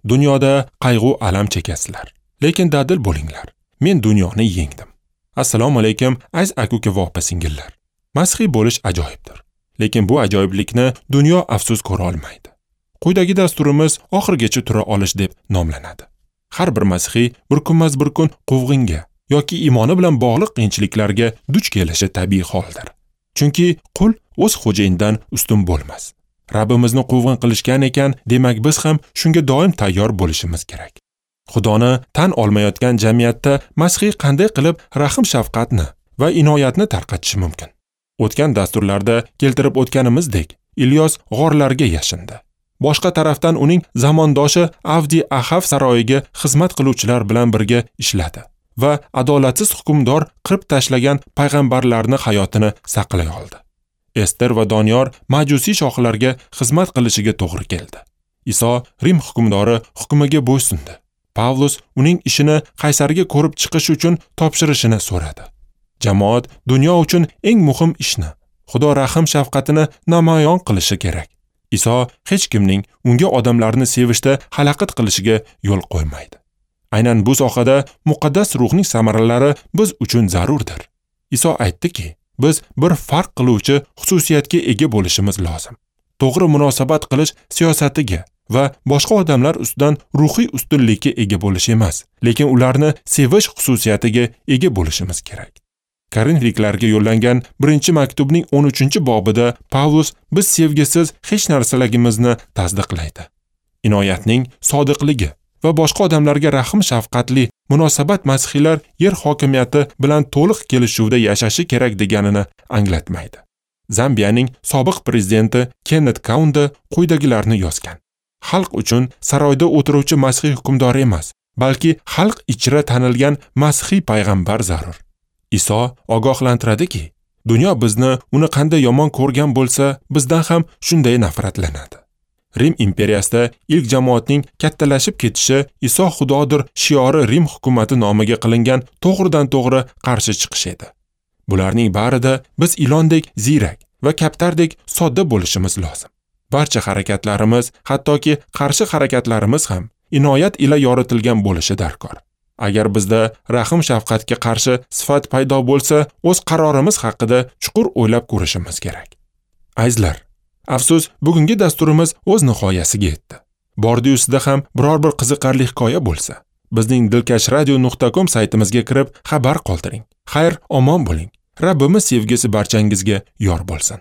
Dunyoda qayg'u alam chekasizlar, lekin dadil bo'linglar. Men dunyoni yengdim. Assalomu alaykum, aziz aka-uka va opa-singillar. Masihiy bo'lish ajoyibdir. Lekin bu ajoyiblikni dunyo afsus ko'ra olmaydi. Quyidagi dasturimiz oxirigacha tura olish deb nomlanadi. Har bir masihiy bir kunmas bir kun quvg'inga yoki iymoni bilan bog'liq qiyinchiliklarga duch kelishi tabiiy holdir. Chunki qul o'z xo'jayinidan ustun bo'lmas. Rabbimizni quvg'in qilishgan ekan, demak biz ham shunga doim tayyor bo'lishimiz kerak. Xudoni tan olmayotgan jamiyatda masihiy qanday qilib rahm shafqatni va inoyatni tarqatishi mumkin? O'tgan dasturlarda keltirib o'tganimizdek, Ilyos g'orlarga yashindi. Boshqa tarafdan uning zamondoshi Avdi Ahav saroyiga xizmat qiluvchilar bilan birga ishladi va adolatsiz hukmdor qirib tashlagan payg'ambarlarni hayotini saqlay oldi. Ester va Doniyor majusiy shohlarga xizmat qilishiga to'g'ri keldi. Iso Rim hukmdori hukmiga bo'ysundi. Pavlus uning ishini qaysarga ko'rib chiqish uchun topshirishini so'radi. Jamoat dunyo uchun eng muhim ishni, Xudo rahm shafqatini namoyon qilishi kerak. Iso hech kimning unga odamlarni sevishda xalaqit qilishiga yo'l qo'ymaydi. Aynan bu sohada muqaddas ruhning samaralari biz uchun zarurdir. Iso aytdiki, biz bir farq qiluvchi xususiyatga ega bo'lishimiz lozim. To'g'ri munosabat qilish siyosatiga va boshqa odamlar ustidan ruhiy ustunlikka ega bo'lish emas, lekin ularni sevish xususiyatiga ega bo'lishimiz kerak. Korinfliklarga yo'llangan 1-maktubning 13-bobida Pavlus biz sevgisiz hech narsaligimizni tasdiqlaydi. Inoyatning sodiqligi va boshqa odamlarga rahm shafqatli munosabat masihiylar yer hokimiyati bilan to'liq kelishuvda yashashi kerak deganini anglatmaydi. Zambiyaning sobiq prezidenti Kennet Kaunda quyidagilarni yozgan: Xalq uchun saroyda o'tiruvchi masihiy hukmdor emas, balki xalq ichra tanilgan masihiy payg'ambar zarur. Iso ogohlantiradiki, dunyo bizni uni qanday yomon ko'rgan bo'lsa, bizdan ham shunday nafratlanadi. Rim imperiyasida ilk jamoatning kattalashib ketishi Iso Xudodir shiori Rim hukumati nomiga qilingan to'g'ridan-to'g'ri qarshi chiqish edi. Bularning barida biz ilondek ziyrak va kaptardek sodda bo'lishimiz lozim. Barcha harakatlarimiz, hattoki qarshi harakatlarimiz ham inoyat ila yoritilgan bo'lishi darkor. Agar bizda rahm shafqatga qarshi sifat paydo bo'lsa, o'z qarorimiz haqida chuqur o'ylab ko'rishimiz kerak. Azizlar, afsus, bugungi dasturimiz o'z nihoyasiga yetdi. Bordi-yu sizda ham biror bir qiziqarli hikoya bo'lsa, bizning dilkashradio.com saytimizga kirib xabar qoldiring. Xayr, omon bo'ling. Rabbimiz sevgisi barchangizga yor bo'lsin.